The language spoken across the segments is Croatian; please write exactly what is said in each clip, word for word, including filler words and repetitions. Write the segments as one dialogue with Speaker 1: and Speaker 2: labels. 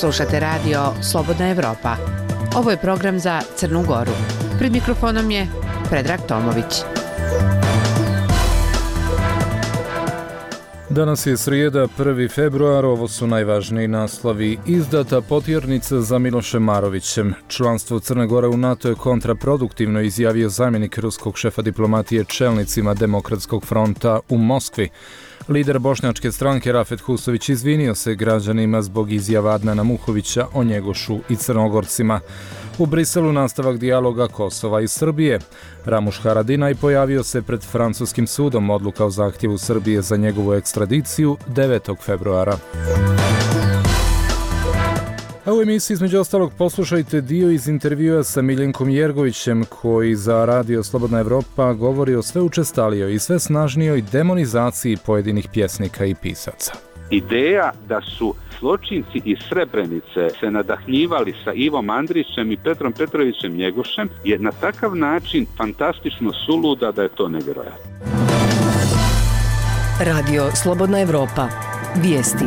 Speaker 1: Slušate radio Slobodna Evropa. Ovo je program za Crnu Goru. Pred mikrofonom je Predrag Tomović.
Speaker 2: Danas je srijeda, prvi februar, ovo su najvažniji naslovi. Izdata potjernica za Milošem Marovićem. Članstvo Crne Gore u NATO je kontraproduktivno, izjavio zamjenik ruskog šefa diplomatije čelnicima Demokratskog fronta u Moskvi. Lider bošnjačke stranke Rafet Husović izvinio se građanima zbog izjava Adnana Muhovića o Njegošu i Crnogorcima. U Briselu nastavak dijaloga Kosova i Srbije. Ramuš Haradinaj pojavio se pred francuskim sudom, odluka o zahtjevu Srbije za njegovu ekstradiciju devetog februara. A u emisiji između ostalog poslušajte dio iz intervjua sa Miljenkom Jergovićem koji za radio Slobodna Evropa govori o sve učestalijoj i sve snažnijoj demonizaciji pojedinih pjesnika i pisaca.
Speaker 3: Ideja da su zločinci iz Srebrenice se nadahljivali sa Ivom Andrićem i Petrom Petrovićem Njegošem je na takav način fantastično suluda da je to nevjerojatno.
Speaker 4: Radio Slobodna Evropa. Vijesti.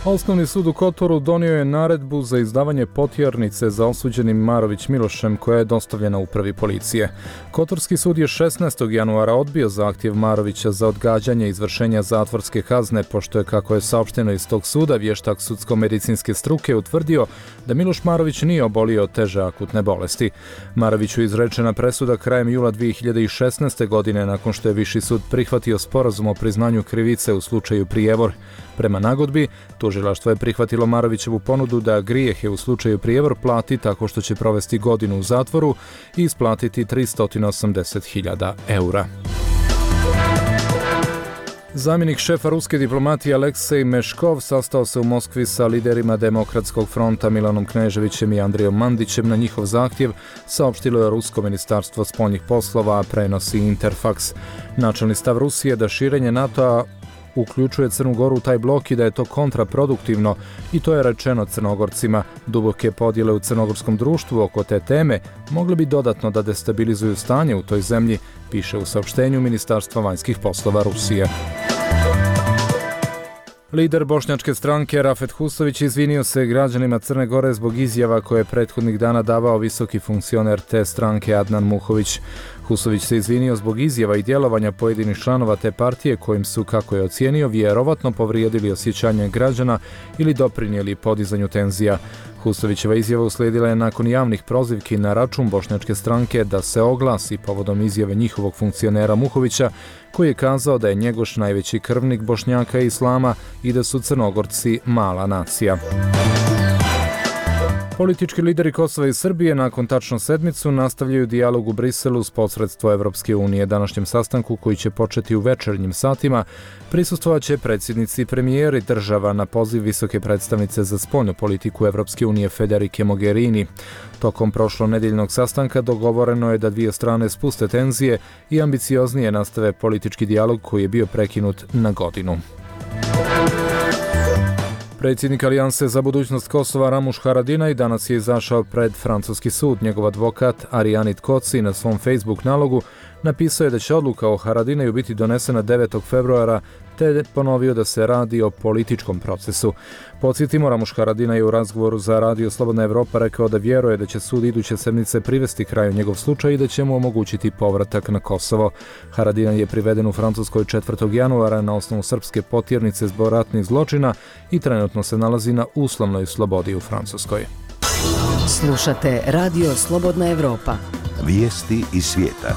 Speaker 2: Osnovni sud u Kotoru donio je naredbu za izdavanje potjernice za osuđenim Marović Milošem koja je dostavljena upravi policije. Kotorski sud je šesnaestog januara odbio zahtjev Marovića za odgađanje izvršenja zatvorske kazne, pošto je, kako je saopšteno iz tog suda, vještak sudsko-medicinske struke utvrdio da Miloš Marović nije obolio od teže akutne bolesti. Maroviću izrečena presuda krajem jula dvije hiljade šesnaeste. godine nakon što je Viši sud prihvatio sporazum o priznanju krivice u slučaju Prijevor. Prema nagodbi, tužilaštvo je prihvatilo Marovićevu ponudu da grijehe u slučaju Prijevor plati tako što će provesti godinu u zatvoru i isplatiti tristo osamdeset hiljada eura. Zamjenik šefa ruske diplomatije Aleksej Meškov sastao se u Moskvi sa liderima Demokratskog fronta Milanom Kneževićem i Andrijom Mandićem na njihov zahtjev, saopštilo je Rusko ministarstvo spoljnih poslova, a prenosi Interfax. Načelni stav Rusije da širenje NATO-a uključuje Crnu Goru u taj blok i da je to kontraproduktivno, i to je rečeno Crnogorcima. Duboke podjele u crnogorskom društvu oko te teme mogle bi dodatno da destabilizuju stanje u toj zemlji, piše u saopštenju Ministarstva vanjskih poslova Rusije. Lider bošnjačke stranke Rafet Husović izvinio se građanima Crne Gore zbog izjava koje je prethodnih dana davao visoki funkcioner te stranke Adnan Muhović. Husović se izvinio zbog izjava i djelovanja pojedinih članova te partije kojim su, kako je ocijenio, vjerovatno povrijedili osjećanje građana ili doprinijeli podizanju tenzija. Husovićeva izjava uslijedila je nakon javnih prozivki na račun bošnjačke stranke da se oglasi povodom izjave njihovog funkcionera Muhovića, koji je kazao da je Njegoš najveći krvnik Bošnjaka i Islama i da su Crnogorci mala nacija. Politički lideri Kosova i Srbije nakon tačno sedmicu nastavljaju dijalog u Briselu s posredstvo Evropske unije. Današnjem sastanku, koji će početi u večernjim satima, prisustvovat će predsjednici i premijeri država na poziv visoke predstavnice za spoljnu politiku Evropske unije Federike Mogherini. Tokom prošlonedjeljnog sastanka dogovoreno je da dvije strane spuste tenzije i ambicioznije nastave politički dijalog koji je bio prekinut na godinu. Predsjednik Alijanse za budućnost Kosova Ramuš Haradinaj danas je izašao pred francuski sud. Njegov advokat Arijanit Koci na svom Facebook nalogu napisao je da će odluka o Haradinaju biti donesena devetog februara, te je ponovio da se radi o političkom procesu. Podsjetimo, Ramuš Haradinaj je u razgovoru za radio Slobodna Evropa rekao da vjeruje da će sud iduće sedmice privesti kraju njegov slučaj i da će mu omogućiti povratak na Kosovo. Haradinaj je priveden u Francuskoj četvrtog januara na osnovu srpske potjernice zbog ratnih zločina i trenutno se nalazi na uslovnoj slobodi u Francuskoj.
Speaker 4: Slušate radio Slobodna Evropa.
Speaker 5: Vijesti iz svijeta.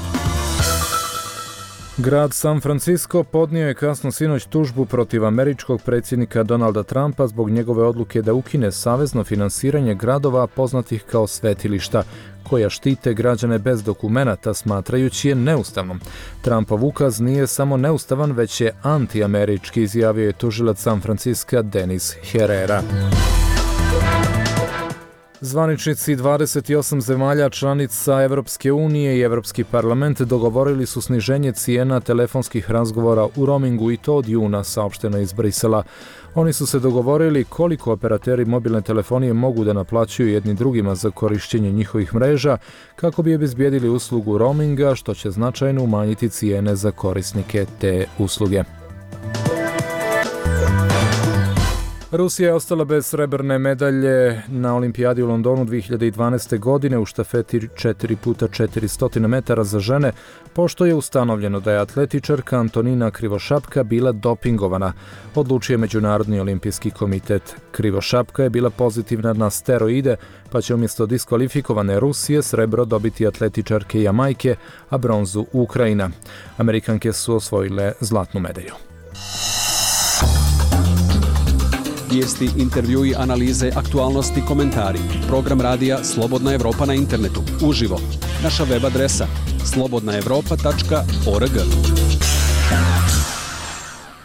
Speaker 2: Grad San Francisco podnio je kasno sinoć tužbu protiv američkog predsjednika Donalda Trumpa zbog njegove odluke da ukine savezno finansiranje gradova poznatih kao svetilišta, koja štite građane bez dokumenata, smatrajući je neustavnom. Trumpov ukaz nije samo neustavan, već je antiamerički, izjavio je tužilac San Francisca Denis Herrera. Zvaničnici dvadeset osam zemalja članica Evropske unije i Evropski parlament dogovorili su sniženje cijena telefonskih razgovora u roamingu i to od juna, saopšteno iz Brisela. Oni su se dogovorili koliko operateri mobilne telefonije mogu da naplaćuju jedni drugima za korištenje njihovih mreža kako bi obezbijedili uslugu roaminga, što će značajno umanjiti cijene za korisnike te usluge. Rusija je ostala bez srebrne medalje na olimpijadi u Londonu dvije hiljade dvanaeste. godine u štafeti četiri puta četiristo metara za žene, pošto je ustanovljeno da je atletičarka Antonina Krivošapka bila dopingovana, odlučio je Međunarodni olimpijski komitet. Krivošapka je bila pozitivna na steroide, pa će umjesto diskvalifikovane Rusije srebro dobiti atletičarke Jamajke, a bronzu Ukrajina. Amerikanke su osvojile zlatnu medalju.
Speaker 6: Vijesti, intervjui, analize, aktualnosti, komentari. Program radija Slobodna Evropa na internetu. Uživo. Naša web adresa slobodna evropa tačka org.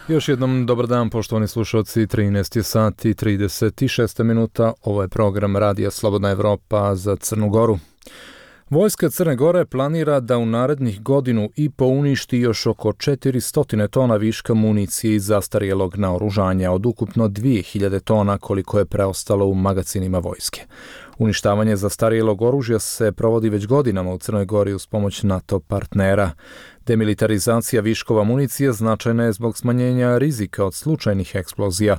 Speaker 2: Još jednom dobar dan, poštovani slušalci. trinaest sati i trideset šest minuta. Ovo je program radija Slobodna Evropa za Crnu Goru. Vojska Crne Gore planira da u narednih godinu i po uništi još oko četiristo tona viška municije i zastarjelog naoružanja od ukupno dvije hiljade tona koliko je preostalo u magacinima vojske. Uništavanje zastarjelog oružja se provodi već godinama u Crnoj Gori uz pomoć NATO partnera. Demilitarizacija viškova municije značajna je zbog smanjenja rizika od slučajnih eksplozija.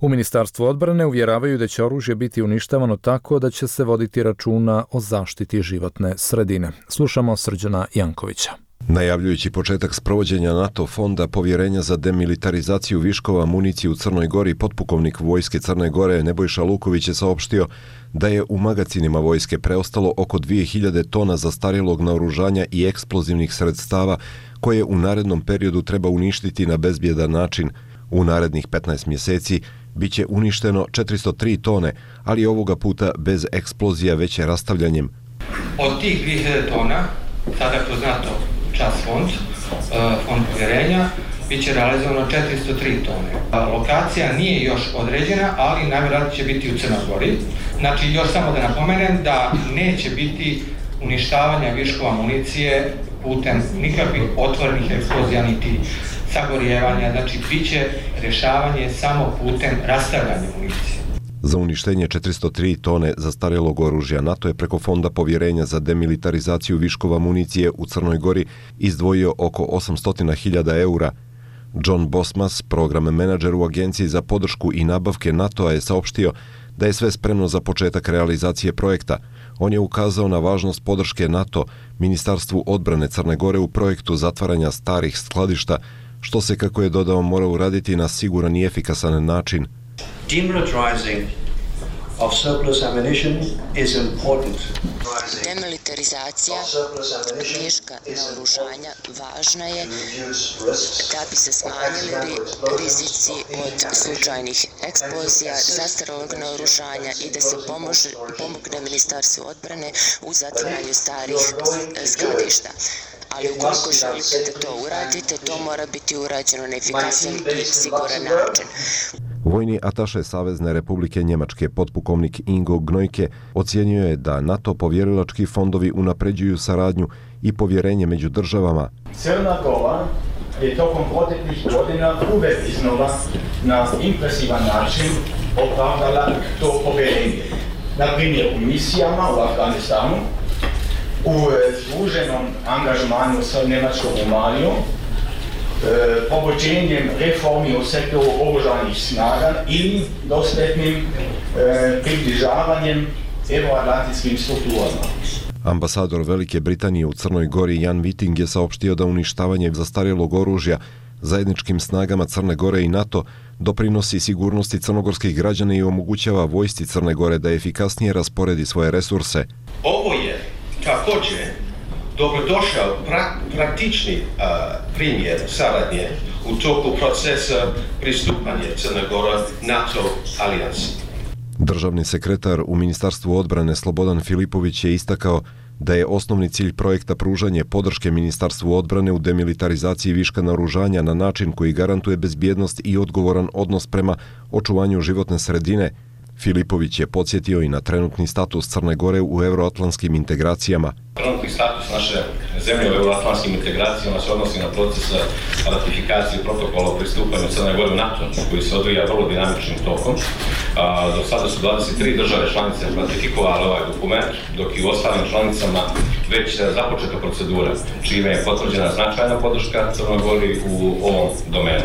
Speaker 2: U Ministarstvu odbrane uvjeravaju da će oružje biti uništavano tako da će se voditi računa o zaštiti životne sredine. Slušamo Srđana Jankovića.
Speaker 7: Najavljujući početak sprovođenja NATO fonda povjerenja za demilitarizaciju viškova municije u Crnoj Gori, potpukovnik vojske Crne Gore Nebojša Luković je saopštio da je u magacinima vojske preostalo oko dvije hiljade tona zastarjelog naoružanja i eksplozivnih sredstava koje u narednom periodu treba uništiti na bezbjedan način. U narednih petnaest mjeseci bit će uništeno četiristo tri tone, ali ovoga puta bez eksplozija, već rastavljanjem.
Speaker 8: Od tih dvije hiljade tona, sada kroz NATO čas fond, fond povjerenja, bit će realizovano četiristo tri tone. Lokacija nije još određena, ali najvjerojatnije će biti u Crnoj Gori. Znači, još samo da napomenem da neće biti uništavanja viškova municije putem nikakvih otvorenih eksplozija niti sagorijevanja, znači bit će rješavanje samo putem rastavljanja municije.
Speaker 7: Za uništenje četiristo tri tone zastarjelog oružja NATO je preko Fonda povjerenja za demilitarizaciju viškova municije u Crnoj Gori izdvojio oko osamsto hiljada eura. John Bosmas, program menadžer u Agenciji za podršku i nabavke NATO-a, je saopštio da je sve spremno za početak realizacije projekta. On je ukazao na važnost podrške NATO Ministarstvu odbrane Crne Gore u projektu zatvaranja starih skladišta, što se, kako je dodao, mora uraditi na siguran i efikasan način.
Speaker 9: Demilitarizing of surplus ammunition is important.
Speaker 10: Demilitarizacija viška naoružanja važna je da bi se smanjili rizici od slučajnih eksplozija, zastarjelog naoružanja i da se pomože, pomogne Ministarstvu odbrane u zatvaranju starih skladišta. Ali ukoliko želite da to uradite, to mora biti urađeno na efikasan i siguran način.
Speaker 7: Vojni ataše Savezne Republike Njemačke, potpukovnik Ingo Gnojke, ocijenio je da NATO povjerilački fondovi unapređuju saradnju i povjerenje među državama.
Speaker 11: Crna Gora je tokom proteklih godina uvek iznova na impresivan način opravdala to povjerenje. Na primjer u misijama u Afganistanu, u združenom angažmanu sa njemačkom Romanijom, e, povođenjem reformi u sektoru oružanih snaga ili dosljednim e, približavanjem euroatlantskim strukturama.
Speaker 7: Ambasador Velike Britanije u Crnoj Gori Jan Viting je saopštio da uništavanje zastarjelog oružja zajedničkim snagama Crne Gore i NATO doprinosi sigurnosti crnogorskih građana i omogućava vojsci Crne Gore da efikasnije rasporedi svoje resurse.
Speaker 12: Ovo je također dobrodošao pra, praktični uh, primjer saradnje u toku procesa pristupanja Crne Gore NATO alijansi.
Speaker 7: Državni sekretar u Ministarstvu odbrane Slobodan Filipović je istakao da je osnovni cilj projekta pružanje podrške Ministarstvu odbrane u demilitarizaciji viška naoružanja na način koji garantuje bezbjednost i odgovoran odnos prema očuvanju životne sredine. Filipović je podsjetio i na trenutni status Crne Gore u euroatlantskim integracijama.
Speaker 12: Trenutni status naše zemlje u euroatlantskim integracijama se odnosi na proces ratifikacije protokola o pristupanju Crne Gore u NATO, koji se odvija vrlo dinamičnim tokom. Do sada su dvadeset tri države članice ratifikovale ovaj dokument, dok i u ostalim članicama već započeta procedura, čime je potvrđena značajna podrška Crnoj Gori u ovom domenu.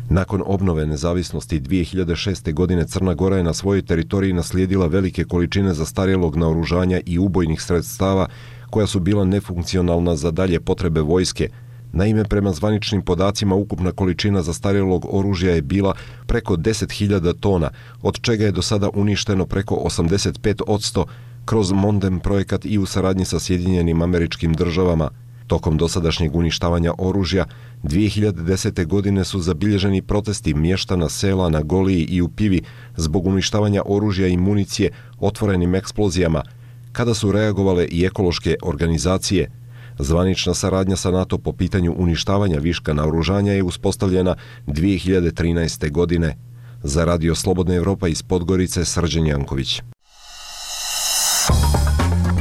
Speaker 7: Nakon obnove nezavisnosti dvije hiljade šeste. godine Crna Gora je na svojoj teritoriji naslijedila velike količine zastarjelog naoružanja i ubojnih sredstava koja su bila nefunkcionalna za dalje potrebe vojske. Naime, prema zvaničnim podacima, ukupna količina zastarjelog oružja je bila preko deset hiljada tona, od čega je do sada uništeno preko osamdeset pet posto kroz Mondem projekat i u saradnji sa Sjedinjenim Američkim Državama. Tokom dosadašnjeg uništavanja oružja, dvije hiljade desete. godine su zabilježeni protesti mještana sela na Goliji i u Pivi zbog uništavanja oružja i municije otvorenim eksplozijama, kada su reagovale i ekološke organizacije. Zvanična saradnja sa NATO po pitanju uništavanja viška naoružanja je uspostavljena dvije hiljade trinaeste. godine. Za Radio Slobodna Evropa iz Podgorice, Srđan Janković.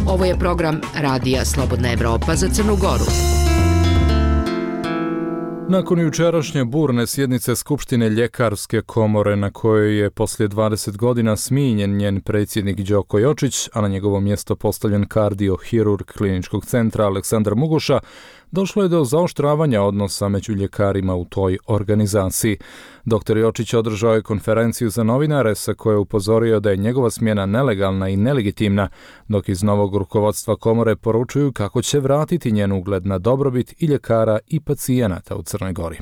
Speaker 1: Ovo je program Radija Slobodna Evropa za Crnu Goru.
Speaker 2: Nakon jučerašnje burne sjednice Skupštine Ljekarske komore na kojoj je poslije dvadeset godina smijenjen njen predsjednik Đoko Jočić, a na njegovo mjesto postavljen kardiohirurg Kliničkog centra Aleksandar Mugoša, došlo je do zaoštravanja odnosa među ljekarima u toj organizaciji. Doktor Jočić održao je konferenciju za novinare sa kojoj je upozorio da je njegova smjena nelegalna i nelegitimna, dok iz novog rukovodstva komore poručuju kako će vratiti njen ugled na dobrobit i ljekara i pacijenata u Crnoj Gori.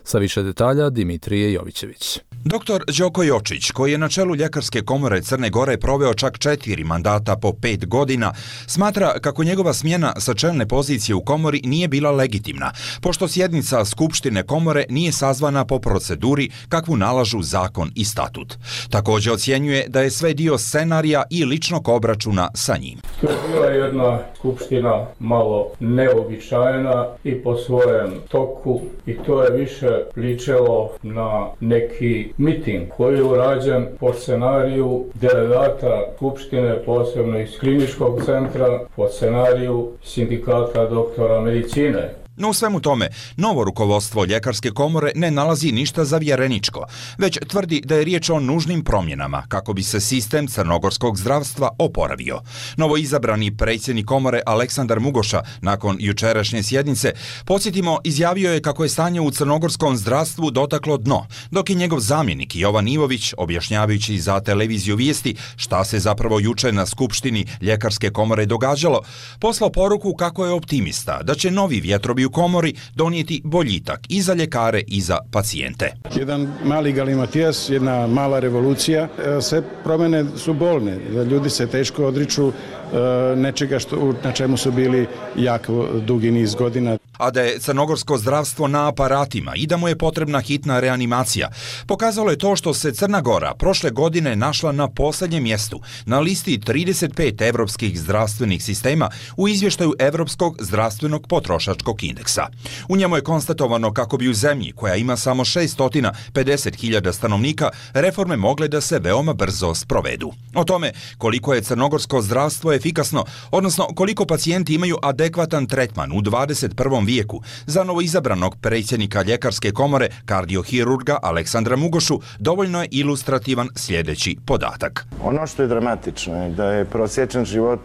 Speaker 2: Sa više detalja Dimitrije Jovićević.
Speaker 13: Doktor Đoko Jočić, koji je na čelu Ljekarske komore Crne Gore proveo čak četiri mandata po pet godina, smatra kako njegova smjena sa čelne pozicije u komori nije bila legitimna, pošto sjednica Skupštine komore nije sazvana po proceduri kakvu nalažu zakon i statut. Također ocjenjuje da je sve dio scenarija i ličnog obračuna sa njim.
Speaker 14: To je bila jedna skupština malo neobičajna i po svojem toku, i to je više ličilo na neki miting koji je urađen po scenariju delegata Skupštine, posebno iz Kliničkog centra, po scenariju sindikata doktora medicine.
Speaker 13: No u svemu tome, novo rukovodstvo Ljekarske komore ne nalazi ništa zavjereničko, već tvrdi da je riječ o nužnim promjenama kako bi se sistem crnogorskog zdravstva oporavio. Novo izabrani predsjednik komore Aleksandar Mugoša nakon jučerašnje sjednice, podsjetimo, izjavio je kako je stanje u crnogorskom zdravstvu dotaklo dno, dok je njegov zamjenik Jovan Ivović, objašnjavajući za televiziju Vijesti šta se zapravo juče na Skupštini Ljekarske komore događalo, poslao poruku kako je optimista da će novi vjetrovi u komori donijeti boljitak i za ljekare i za pacijente.
Speaker 15: Jedan mali galimatijas, jedna mala revolucija, sve promjene su bolne, ljudi se teško odriču nečega što, na čemu su bili jako dugi niz godina.
Speaker 13: A da je crnogorsko zdravstvo na aparatima i da mu je potrebna hitna reanimacija, pokazalo je to što se Crna Gora prošle godine našla na posljednjem mjestu na listi trideset pet evropskih zdravstvenih sistema u izvještaju Evropskog zdravstvenog potrošačkog indeksa. U njemu je konstatovano kako bi u zemlji koja ima samo šesto pedeset hiljada stanovnika reforme mogle da se veoma brzo sprovedu. O tome koliko je crnogorsko zdravstvo efikasno, odnosno koliko pacijenti imaju adekvatan tretman u dvadeset prvom vijeku, za novoizabranog predsjednika Ljekarske komore, kardiohirurga Aleksandra Mugošu, dovoljno je ilustrativan sljedeći podatak.
Speaker 16: Ono što je dramatično je da je prosječan život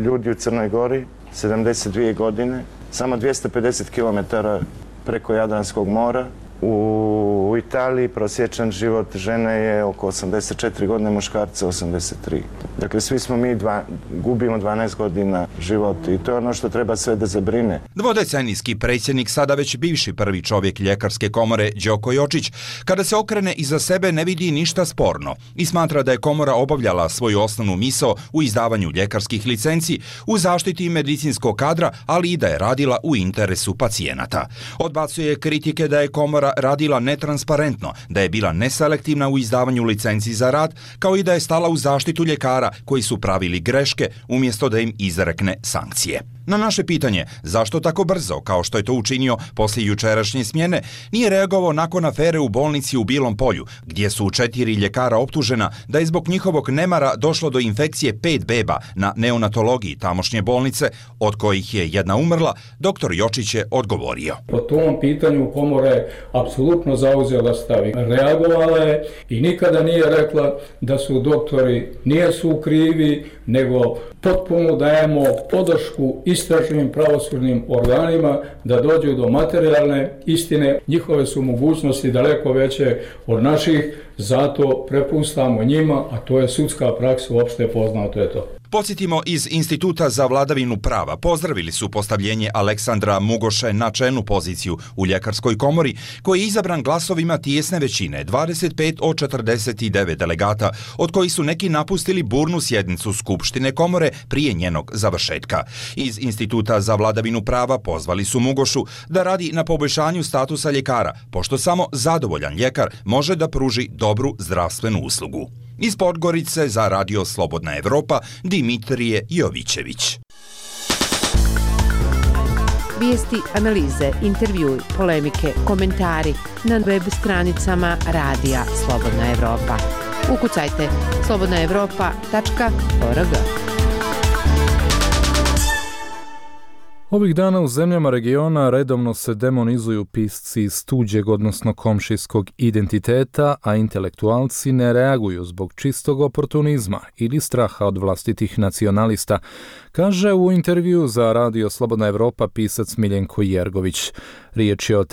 Speaker 16: ljudi u Crnoj Gori sedamdeset dvije godine, samo dvjesto pedeset kilometara preko Jadranskog mora. U Italiji prosječan život žene je oko osamdeset četiri godine, muškarca osamdeset tri. Dakle, svi smo mi dva, gubimo dvanaest godina života i to je ono što treba sve da zabrine.
Speaker 13: Dvodecenijski predsjednik, sada već bivši prvi čovjek Ljekarske komore, Đoko Jočić, kada se okrene iza sebe ne vidi ništa sporno i smatra da je komora obavljala svoju osnovnu misao u izdavanju ljekarskih licenci, u zaštiti medicinskog kadra, ali i da je radila u interesu pacijenata. Odbacuje kritike da je komora radila netransparentno, da je bila neselektivna u izdavanju licenci za rad, kao i da je stala u zaštitu ljekara koji su pravili greške umjesto da im izrekne sankcije. Na naše pitanje zašto tako brzo, kao što je to učinio poslije jučerašnje smjene, nije reagovao nakon afere u bolnici u Bilom Polju, gdje su četiri ljekara optužena da je zbog njihovog nemara došlo do infekcije pet beba na neonatologiji tamošnje bolnice, od kojih je jedna umrla, doktor Jočić je odgovorio.
Speaker 14: Po tom pitanju komora je apsolutno zauzela stav. Reagovala je i nikada nije rekla da su doktori nijesu krivi, nego potpuno dajemo podršku istražnim pravosudnim organima da dođu do materijalne istine. Njihove su mogućnosti daleko veće od naših, zato prepustamo njima, a to je sudska praksa, uopšte poznato je to.
Speaker 13: Podsjetimo, iz Instituta za vladavinu prava pozdravili su postavljenje Aleksandra Mugoše na čelnu poziciju u ljekarskoj komori, koji je izabran glasovima tijesne većine, dvadeset pet od četrdeset devet delegata, od kojih su neki napustili burnu sjednicu Skupštine komore prije njenog završetka. Iz Instituta za vladavinu prava pozvali su Mugošu da radi na poboljšanju statusa ljekara, pošto samo zadovoljan ljekar može da pruži dobru zdravstvenu uslugu. Iz Podgorice za Radio Slobodna Evropa, Dimitrije Jovićević.
Speaker 1: Vijesti, analize, intervjui, polemike, komentari na web stranicama Radija Slobodna Evropa. Ukucajte slobodna evropa tačka org.
Speaker 2: Ovih dana u zemljama regiona redovno se demonizuju pisci iz tuđeg, odnosno komšijskog identiteta, a intelektualci ne reaguju zbog čistog oportunizma ili straha od vlastitih nacionalista, kaže u intervju za Radio Slobodna Evropa pisac Miljenko Jergović. Riječ je o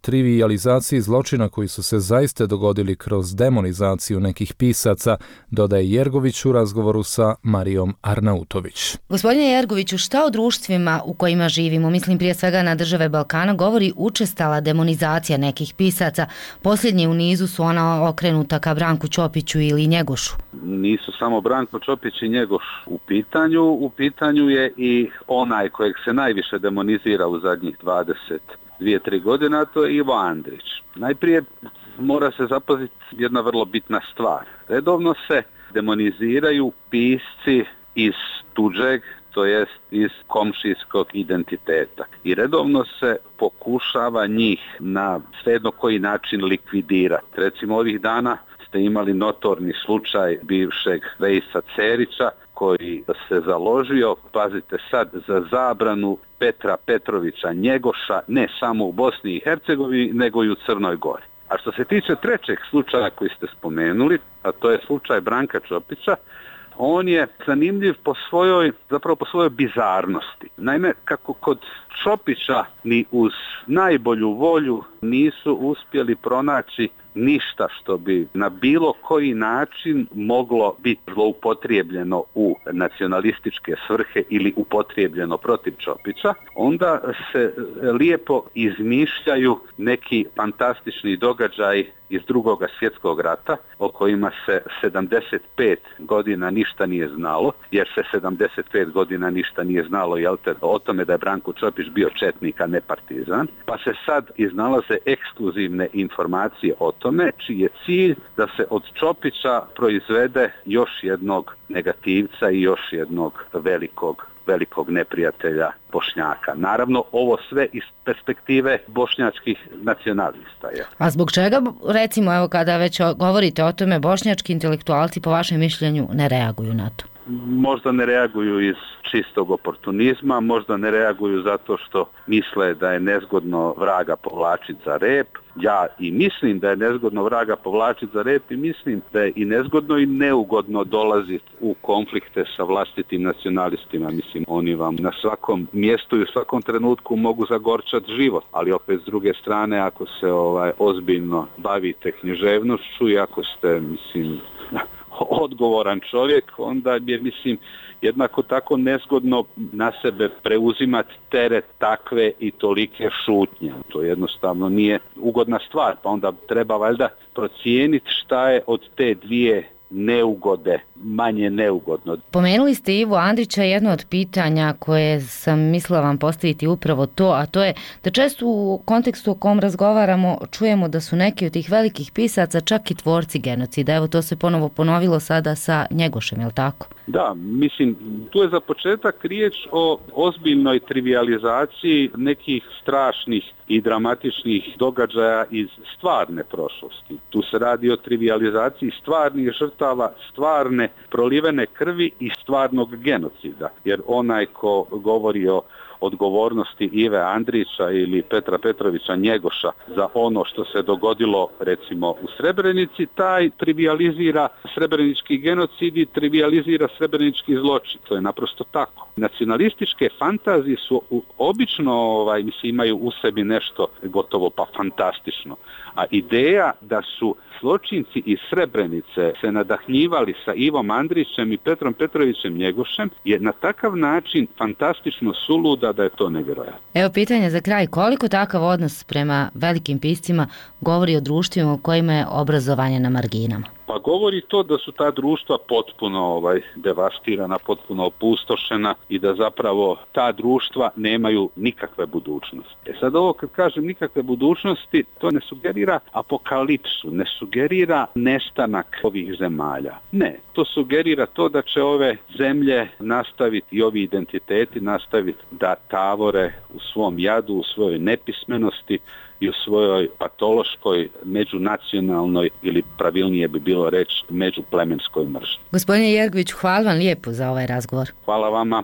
Speaker 2: trivijalizaciji zločina koji su se zaista dogodili kroz demonizaciju nekih pisaca, dodaje Jergović u razgovoru sa Marijom Arnautović.
Speaker 17: Gospodine Jergoviću, šta o društvima u kojima živimo, mislim prije svega na države Balkana, govori učestala demonizacija nekih pisaca? Posljednje u nizu su ona okrenuta ka Branku Ćopiću ili Njegošu.
Speaker 3: Nisu samo Branko Ćopić i Njegoš u pitanju, u pitanju je i onaj kojeg se najviše demonizira u zadnjih dvadeset dvije tri godina, to je Ivo Andrić. Najprije mora se zapaziti jedna vrlo bitna stvar. Redovno se demoniziraju pisci iz tuđeg, to jest iz komšijskog identiteta. I redovno se pokušava njih na svejedno koji način likvidirati. Recimo ovih dana ste imali notorni slučaj bivšeg Vejsa Cerića, koji se založio, pazite sad, za zabranu Petra Petrovića Njegoša ne samo u Bosni i Hercegovini, nego i u Crnoj Gori. A što se tiče trećeg slučaja koji ste spomenuli, a to je slučaj Branka Ćopića, on je zanimljiv po svojoj, zapravo po svojoj bizarnosti. Naime, kako kod Ćopića ni uz najbolju volju nisu uspjeli pronaći ništa što bi na bilo koji način moglo biti zloupotrijebljeno u nacionalističke svrhe ili upotrijebljeno protiv Ćopića, onda se lijepo izmišljaju neki fantastični događaj iz Drugog svjetskog rata o kojima se sedamdeset pet godina ništa nije znalo, jer se sedamdeset pet godina ništa nije znalo jel te, o tome da je Branko Ćopić bio četnik, a ne partizan, pa se sad iznalaze ekskluzivne informacije o tome, čiji je cilj da se od Ćopića proizvede još jednog negativca i još jednog velikog velikog neprijatelja Bošnjaka. Naravno, ovo sve iz perspektive bošnjačkih nacionalista. Je.
Speaker 17: A zbog čega, recimo, evo kada već govorite o tome, bošnjački intelektualci po vašem mišljenju ne reaguju na to?
Speaker 3: Možda ne reaguju iz čistog oportunizma, možda ne reaguju zato što misle da je nezgodno vraga povlačiti za rep. Ja i mislim da je nezgodno vraga povlačiti za rep i mislim da je i nezgodno i neugodno dolaziti u konflikte sa vlastitim nacionalistima. Mislim, oni vam na svakom mjestu i u svakom trenutku mogu zagorčati život, ali opet s druge strane, ako se ovaj ozbiljno bavite književnošću i ako ste, mislim, odgovoran čovjek, onda je, mislim, jednako tako nezgodno na sebe preuzimati teret takve i tolike šutnje. To jednostavno nije ugodna stvar, pa onda treba valjda procijeniti šta je od te dvije neugode manje neugodno.
Speaker 17: Pomenuli ste Ivu Andrića, jedno od pitanja koje sam mislila vam postaviti upravo to, a to je da često u kontekstu o kom razgovaramo čujemo da su neki od tih velikih pisaca čak i tvorci genocida. Evo to se ponovo ponovilo sada sa Njegošem, je li tako?
Speaker 3: Da, mislim, tu je za početak riječ o ozbiljnoj trivijalizaciji nekih strašnih i dramatičnih događaja iz stvarne prošlosti. Tu se radi o trivijalizaciji stvarnih žrtava, stvarne prolivene krvi i stvarnog genocida. Jer onaj ko govori o odgovornosti Ive Andrića ili Petra Petrovića Njegoša za ono što se dogodilo recimo u Srebrenici, taj trivijalizira srebrenički genocid i trivijalizira srebrenički zločin. To je naprosto tako. Nacionalističke fantazije su obično, ovaj, mislim, imaju u sebi nešto gotovo pa fantastično. A ideja da su zločinci iz Srebrenice se nadahnjivali sa Ivom Andrićem i Petrom Petrovićem Njegošem je na takav način fantastično suluda da je to nevjerojatno.
Speaker 17: Evo pitanje za kraj, koliko takav odnos prema velikim piscima govori o društvima u kojima je obrazovanje na marginama?
Speaker 3: Pa govori to da su ta društva potpuno ovaj, devastirana, potpuno opustošena i da zapravo ta društva nemaju nikakve budućnosti. E sad ovo kad kažem nikakve budućnosti, to ne sugerira apokalipsu, ne sugerira nestanak ovih zemalja. Ne, to sugerira to da će ove zemlje nastaviti i ovi identiteti nastaviti da tavore u svom jadu, u svojoj nepismenosti i u svojoj patološkoj, međunacionalnoj ili pravilnije bi bilo reći međuplemenskoj mržnji.
Speaker 17: Gospodine Jergoviću, hvala vam lijepo za ovaj razgovor.
Speaker 3: Hvala vama.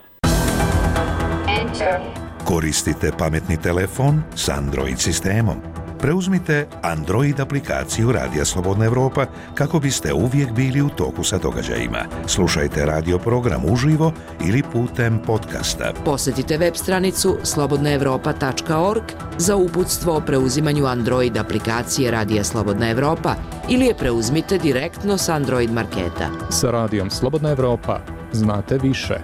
Speaker 5: Koristite pametni telefon s Android sistemom. Preuzmite Android aplikaciju Radija Slobodna Evropa kako biste uvijek bili u toku sa događajima. Slušajte radio program uživo ili putem podcasta.
Speaker 4: Posjetite web stranicu slobodna evropa tačka org za uputstvo o preuzimanju Android aplikacije Radija Slobodna Evropa ili je preuzmite direktno s Android marketa.
Speaker 2: Sa Radijom Slobodna Evropa znate više.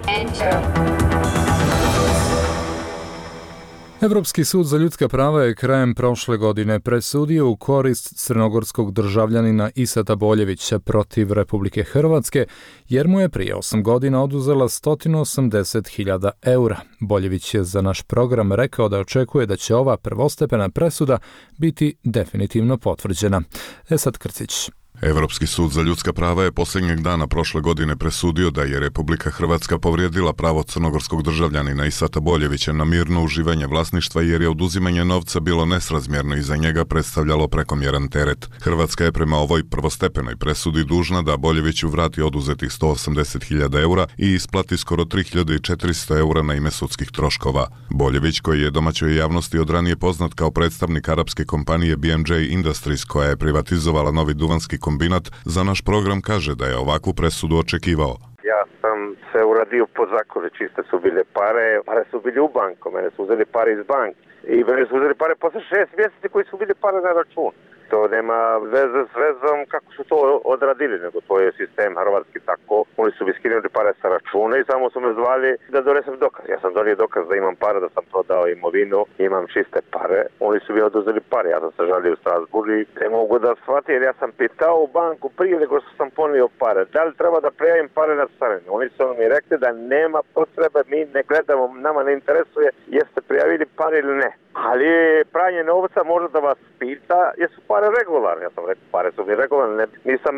Speaker 2: Evropski sud za ljudska prava je krajem prošle godine presudio u korist crnogorskog državljanina Isata Boljevića protiv Republike Hrvatske, jer mu je prije osam godina oduzela sto osamdeset hiljada eura. Boljević je za naš program rekao da očekuje da će ova prvostepena presuda biti definitivno potvrđena. Esad Krcić.
Speaker 18: Evropski sud za ljudska prava je posljednjeg dana prošle godine presudio da je Republika Hrvatska povrijedila pravo crnogorskog državljanina Isata Boljevića na mirno uživanje vlasništva jer je oduzimanje novca bilo nesrazmjerno i za njega predstavljalo prekomjeran teret. Hrvatska je prema ovoj prvostepenoj presudi dužna da Boljeviću vrati oduzetih sto osamdeset hiljada eura i isplati skoro tri hiljade četiristo eura na ime sudskih troškova. Boljević, koji je domaćoj javnosti od ranije poznat kao predstavnik arapske kompanije B M J Industries koja je privatizovala Novi Duvanski kombinat, za naš program kaže da je ovakvu presudu očekivao.
Speaker 19: Ja sam se uradio po zakonu, čiste su bile pare, pare su bili u banku, mene su uzeli pare iz banke i mene su uzeli pare posle šest mjeseci koji su bili pare na račun. To nema veze s vezom kako su to odradili, nego to je sistem hrvatski tako. Oni su mi skinuli pare sa računa i samo su me zvali da donesem dokaz. Ja sam donio dokaz da imam pare, da sam prodao imovinu, imam čiste pare. Oni su mi oduzeli pare, ja sam se žalio u Strasbourgu i ne mogu da shvatim jer ja sam pitao u banku prije nego što sam ponio pare. Da li treba da prijavim pare na carinu? Oni su mi rekli da nema potrebe, mi ne gledamo, nama ne interesuje jeste prijavili pare ili ne. Ali pranje novca može da vas pita jesu pare regularne. Ja sam rekao, pare su mi regularne. Nisam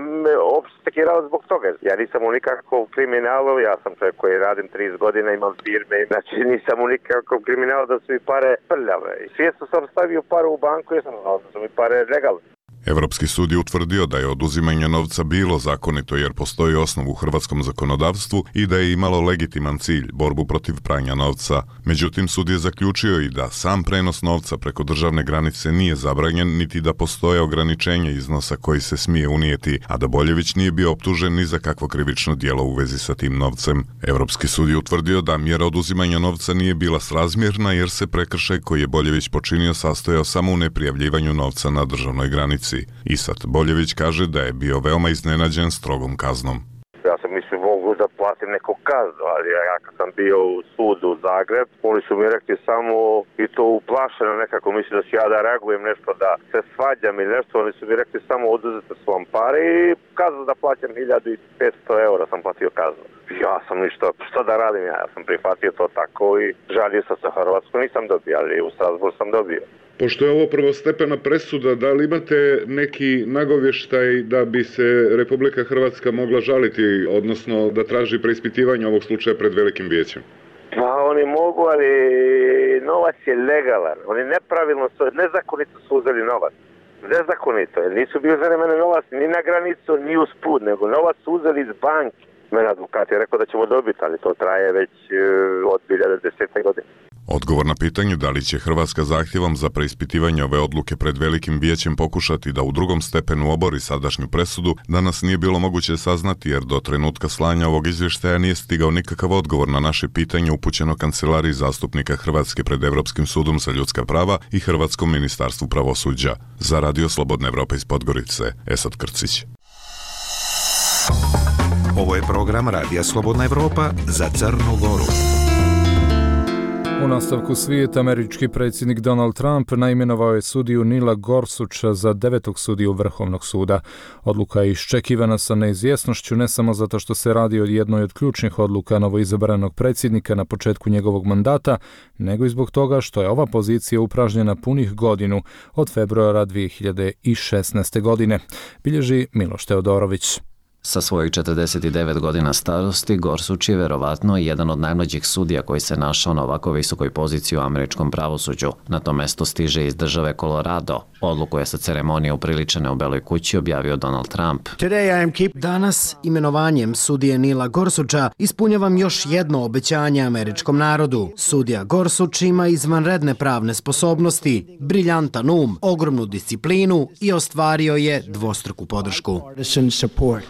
Speaker 19: uopšte sekirao zbog toga. Ja nisam u nikakvom kriminalu, ja sam čovjek koji radim trideset godina, imam firme. Znači nisam u nikakvom kriminalu da su mi pare prljave. Svjesno sam stavio pare u banku i sam znao da su mi pare legalne.
Speaker 18: Evropski sud je utvrdio da je oduzimanje novca bilo zakonito jer postoji osnov u hrvatskom zakonodavstvu i da je imalo legitiman cilj, borbu protiv pranja novca. Međutim, sud je zaključio i da sam prenos novca preko državne granice nije zabranjen, niti da postoje ograničenje iznosa koji se smije unijeti, a da Boljević nije bio optužen ni za kakvo krivično djelo u vezi sa tim novcem. Evropski sud je utvrdio da mjera oduzimanja novca nije bila srazmjerna jer se prekršaj koji je Boljević počinio sastojao samo u neprijavljivanju novca na državnoj granici. Isat Boljević kaže da je bio veoma iznenađen strogom kaznom.
Speaker 19: Ja sam sam mislim mogu da platim neku kaznu, ali ja kad sam bio u sudu u Zagreb, oni su mi rekli samo i to uplašeno nekako, mislim da ću ja da reagujem nešto, da se svađam ili nešto, oni su mi rekli samo oduzete su vam pare i kaznu da plaćam hiljadu petsto eura sam platio kaznu. Ja sam ništa, što da radim, ja sam prihvatio to tako i žalio sam se Hrvatsku, nisam dobio, ali u Strasbourg sam dobio.
Speaker 18: Pošto je ovo prvostepena presuda, da li imate neki nagovještaj da bi se Republika Hrvatska mogla žaliti, odnosno da traži preispitivanje ovog slučaja pred Velikim vijećem?
Speaker 19: Pa oni mogu, ali novac je legalan. Oni nepravilno su, nezakonito su uzeli novac. Nezakonito, jer nisu bili uzeli mene novac ni na granicu, ni uz put, nego novac su uzeli iz banke. Mene advokat je rekao da ćemo dobiti, ali to traje već uh, od dvije hiljade desete. godine.
Speaker 18: Odgovor na pitanje da li će Hrvatska zahtjevom za preispitivanje ove odluke pred Velikim vijećem pokušati da u drugom stepenu obori sadašnju presudu, danas nije bilo moguće saznati jer do trenutka slanja ovog izvještaja nije stigao nikakav odgovor na naše pitanje upućeno Kancelariji zastupnika Hrvatske pred Europskim sudom za ljudska prava i Hrvatskom ministarstvu pravosuđa. Za Radio Slobodna Evropa iz Podgorice, Esad Krcić.
Speaker 5: Ovo je program Radija Slobodna Evropa za Crnu Goru.
Speaker 2: U nastavku svijeta, američki predsjednik Donald Trump naimenovao je sudiju Nila Gorsucha za devetog sudiju Vrhovnog suda. Odluka je iščekivana sa neizvjesnošću ne samo zato što se radi o jednoj od ključnih odluka novoizabranog predsjednika na početku njegovog mandata, nego i zbog toga što je ova pozicija upražnjena punih godinu od februara dvije hiljade šesnaeste. godine, bilježi Miloš Teodorović.
Speaker 20: Sa svojih četrdeset devet godina starosti, Gorsuch je verovatno jedan od najmlađih sudija koji se našao na ovako visokoj poziciji u američkom pravosuđu. Na to mesto stiže iz države Colorado. Odluku je sa ceremonije upriličene u Beloj kući objavio Donald Trump.
Speaker 21: Danas, imenovanjem sudije Nila Gorsucha, ispunjavam još jedno obećanje američkom narodu. Sudija Gorsuch ima izvanredne pravne sposobnosti, briljantan um, ogromnu disciplinu i ostvario je dvostruku podršku.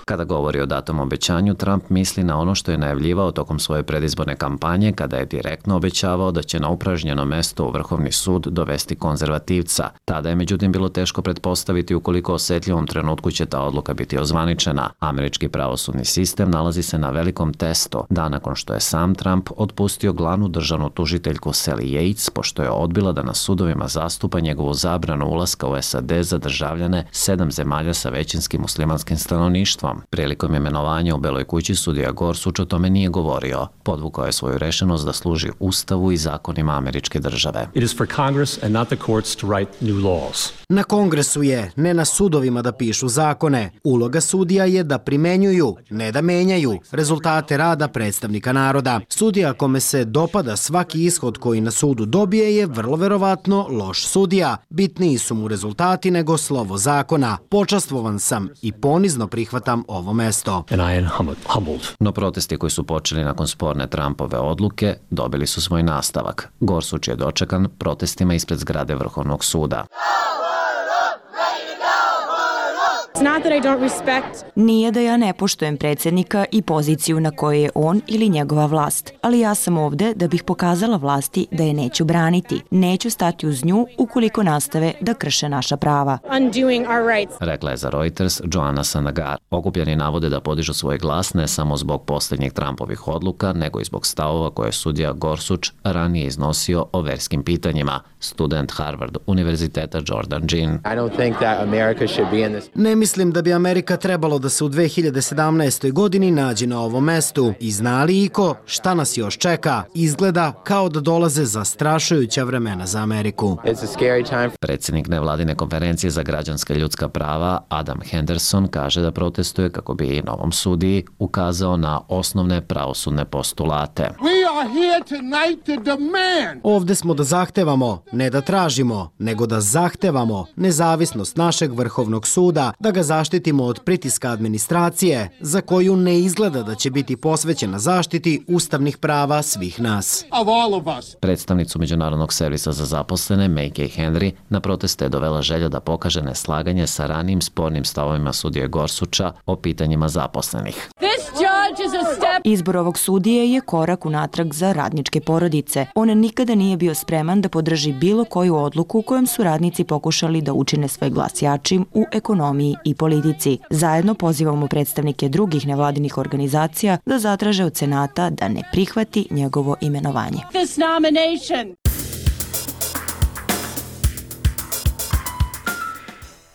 Speaker 20: Kada govori o datom obećanju, Trump misli na ono što je najavljivao tokom svoje predizborne kampanje kada je direktno obećavao da će na upražnjeno mesto u Vrhovni sud dovesti konzervativca. Tada je međutim bilo teško pretpostaviti u koliko osjetljivom trenutku će ta odluka biti ozvaničena. Američki pravosudni sistem nalazi se na velikom testu, da nakon što je sam Trump otpustio glavnu državnu tužiteljku Sally Yates, pošto je odbila da na sudovima zastupa njegovu zabranu ulaska u S A D za državljane sedam zemalja sa većinskim muslimanskim stanovništvom. Prilikom imenovanja u Beloj kući sudija Gorsuch o tome nije govorio. Podvukao je svoju rešenost da služi Ustavu i zakonima američke države.
Speaker 22: It is for Congress and not the courts to write new laws.
Speaker 21: Na Kongresu je, ne na sudovima da pišu zakone. Uloga sudija je da primenjuju, ne da menjaju, rezultate rada predstavnika naroda. Sudija kome se dopada svaki ishod koji na sudu dobije je vrlo verovatno loš sudija. Bitniji su mu rezultati nego slovo zakona. Počastvovan sam i ponizno prihvatam ovo mesto.
Speaker 20: No protesti koji su počeli nakon sporne Trumpove odluke dobili su svoj nastavak. Gorsuch je dočekan protestima ispred zgrade Vrhovnog suda.
Speaker 23: Nije da ja ne poštujem predsjednika i poziciju na kojoj je on ili njegova vlast, ali ja sam ovde da bih pokazala vlasti da je neću braniti. Neću stati uz nju ukoliko nastave da krše naša prava.
Speaker 20: Rekla je za Reuters Joanna Sanagar. Okupljeni navode da podižu svoj glas ne samo zbog posljednjih Trumpovih odluka, nego i zbog stavova koje je sudija Gorsuch ranije iznosio o verskim pitanjima. Student Harvard univerziteta Jordan Jean.
Speaker 21: Ne mislim da bi Amerika trebalo da se u dve hiljade sedamnaestoj. godini nađe na ovom mestu. I zna li iko šta nas još čeka? Izgleda kao da dolaze zastrašujuća vremena za Ameriku.
Speaker 20: Predsjednik nevladine konferencije za građanska ljudska prava Adam Henderson kaže da protestuje kako bi novom sudiji ukazao na osnovne pravosudne postulate.
Speaker 21: Ovde smo da zahtevamo, ne da tražimo, nego da zahtevamo nezavisnost našeg Vrhovnog suda, da ga zaštitimo od pritiska administracije, za koju ne izgleda da će biti posvećena zaštiti ustavnih prava svih nas.
Speaker 20: Predstavnicu Međunarodnog servisa za zaposlene Mackay Henry na proteste je dovela želja da pokaže neslaganje sa ranijim spornim stavovima sudije Gorsucha o pitanjima zaposlenih.
Speaker 23: Izbor ovog sudije je korak unatrag za radničke porodice. On nikada nije bio spreman da podrži bilo koju odluku kojom su radnici pokušali da učine svoj glas jačim u ekonomiji i politici. Zajedno pozivamo predstavnike drugih nevladinih organizacija da zatraže od Senata da ne prihvati njegovo imenovanje.
Speaker 6: This nomination.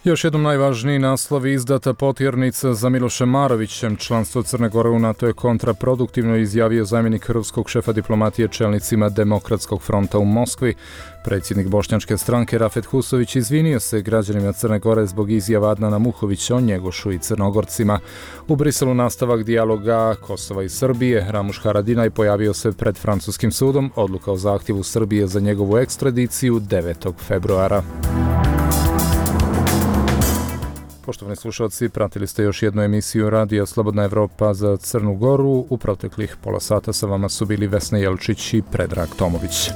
Speaker 2: Još jednom najvažniji naslovi: izdata potjernica za Milošem Marovićem, članstvo Crne Gore u NATO je kontraproduktivno, izjavio zamjenik ruskog šefa diplomatije čelnicima Demokratskog fronta u Moskvi. Predsjednik bošnjačke stranke Rafet Husović izvinio se građanima Crne Gore zbog izjava Adnana Muhovića o Njegošu i Crnogorcima. U Briselu nastavak dijaloga Kosova i Srbije. Ramuš Haradinaj pojavio se pred francuskim sudom. Odluka o zahtjevu Srbije za njegovu ekstradiciju devetog februara. Poštovani slušalci, pratili ste još jednu emisiju Radija Slobodna Evropa za Crnu Goru. U proteklih pola sata sa vama su bili Vesna Jelčić i Predrag Tomović.